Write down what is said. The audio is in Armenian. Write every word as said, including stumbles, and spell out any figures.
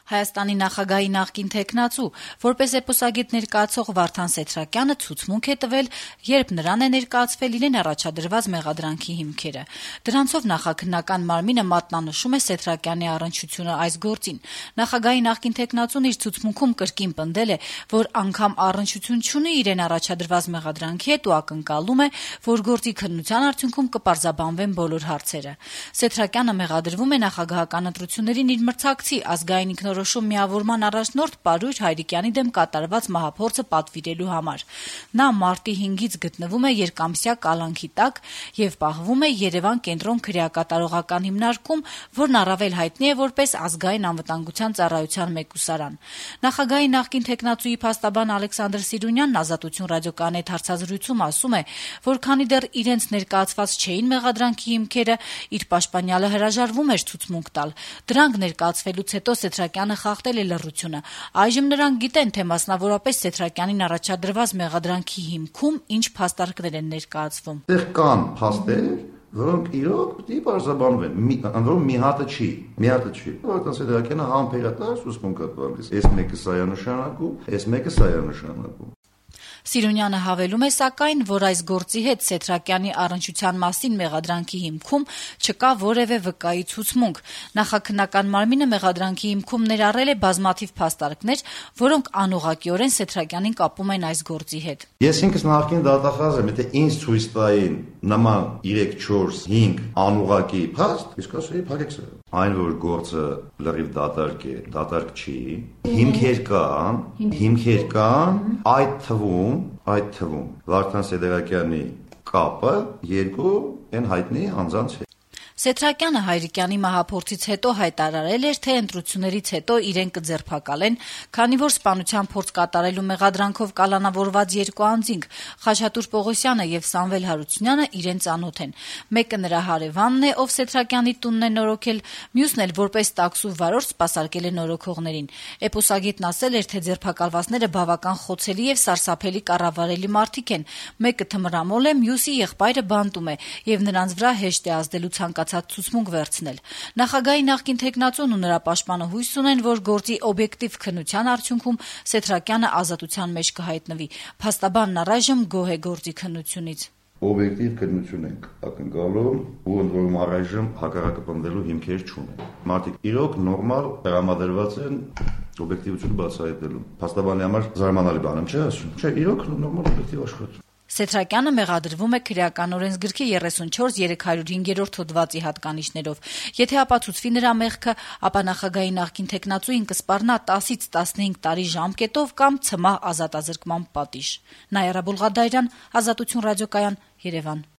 Հայաստանի նախագահի նախկին թեկնածու, որպես էպոսագետ ներկայացող Վարդան Սեթրակյանը ցուցմունք է տվել, երբ նրան է ներկայացվել իրեն առաջադրված մեղադրանքի հիմքերը։ Դրանցով նախաքննական մարմինը մատնանշում է Սեթրակյանի առնչությունը այս գործին։ Նախագահի նախկին թեկնածուն իր ցուցմունքում կրկին պնդել է, որ անգամ առնչություն չունի իրեն առաջադրված մեղադրանքի հետ ու ակնկալում է, որ գործի քննության արդյունքում կպարզաբանվեն բոլոր հարցերը։ Սեթրակյանը մեղադրվում է նախագահական ընտրություններին իր մրցակցի ազգային ինքնորոշում միավորման առաջնորդ Պարույր Հայրիկյանի դեմ կատարված մահափորձը պատվիրելու համար։ Նա մարտի հինգից գտնվում է երկամսյա կալանքի տակ եւ պահվում է Երևան կենտրոն քրեակատարողական հիմնարկում, որն առավել հայտնի է որպես ազգային անվտանգության ծառայության մեկուսարան։ Նախագահի նախկին թեկնածուի փաստաբան Ալեքսանդր Սիրունյանն Ազատություն ռադիոկայանի հետ հարցազրույցում ասում է, որ քանի դեռ իրենց ներկայացված չէին մեղադրանքի հիմքերը, իր պաշտպանյալը հրաժարվում էր ցուցմունք տալ։ Դրանք ներկայացվելուց հետո Սեթրակյանը խախտել է լռությունը։ Այժմ նրանք գիտեն, թե մասնավորապես Սեթրակյանին առաջադրված մեղադրանքի հիմքում ինչ փաստարկներ են ներկայացվում։ Դեռ կան փաստեր, որոնք իրոք պետք է բարձրաբանվեն, ընդորում մի հատը չի, մի հատը չի։ Վարդան Սեթրակյանը համբերատար ցուցմունք է տալիս։ Այս մեկը սա է նշանակում, այս մեկը սա է նշանակում։ Սիրունյանը հավելում է, սակայն, որ այս գործի հետ Սեթրակյանի առնչության մասին մեղադրանքի հիմքում չկա որևէ վկայի ցուցմունք։ Նախաքննական մարմինը մեղադրանքի հիմքում ներառել է բազմաթիվ փաստարկներ, որոնք անուղղակիորեն Սեթրակյանին կապում են այս գործի հետ։ Ես ինքս նախկին դատախազ եմ, եթե ինձ ցույց տային նման երեք, չորս, հինգ անուղղակի փաստ, իսկ ասեի փակեք սա։ Այն որ գործը լրիվ դատարկ է, դատարկ չի, հիմքեր կան, հիմքեր կան, այդ թվում, այդ թվում Վարդան Սեթրակյանի կապը երկու այն հայտնի անձանց հետ։ Սեթրակյանը Հայրիկյանի մահափորձից հետո հայտարարել էր, թե ընտրություններից հետո իրեն կձերբակալեն, քանի որ սպանության փորձ կատարելու մեղադրանքով կալանավորված երկու անձինք՝ Խաչատուր Պողոսյանը եւ Սամվել Հարությունյանը իրեն ծանոթ են։ Մեկը նրա հարևանն է, ով Սեթրակյանի տունն է նորոգել, մյուսն էլ որպես տաքսու վարորդ սպասարկել է նորոգողներին։ Էպոսագետն ասել էր, թե ձերբակալվածները բավական խոցելի եւ սարսափելի կառավարելի մարդիկ են։ Մեկը թմրամոլ է, մյուսի եղբայրը բանտում է եւ նրանց վրա հեշտ է ազդելու ցանկացած ցուցմունք վերցնել։ Նախագահի նախկին թեկնածուն ու նրա պաշտպանը հույս ունեն, որ գործի օբյեկտիվ քննության արդյունքում Սեթրակյանը ազատության մեջ կհայտնվի։ Փաստաբանն առայժմ գոհ է գործի քննությունից։ Օբյեկտիվ քննություն ենք ակնկալում ու ընդ որում առայժմ հակառակը պնդելու հիմքեր չունեն։ Մարդիկ իրոք նորմալ տրամադրված են օբյեկտիվությունը բացահայտելու։ Փաստաբանի համար զարմանալի բան եմ, չէ՞ ասում։ Չէ, իրոք նորմալ օբյեկտիվ աշխատում։ Սեթրակյանը մեղադրվում է քրեական օրենսգրքի երեսունչորս երեք հարյուր հինգերորդ հոդվածի հատկանիշներով։ Եթե ապացուցվի նրա մեղքը, ապա նախագահի նախկին թեկնածուին կսպառնա տասից տասնհինգ տարի ժամկետով կամ ցմահ ազատազրկման պատիժ։ Նաիրա Բուլղադարյան, Ազատություն ռադիոկայան, Երևան։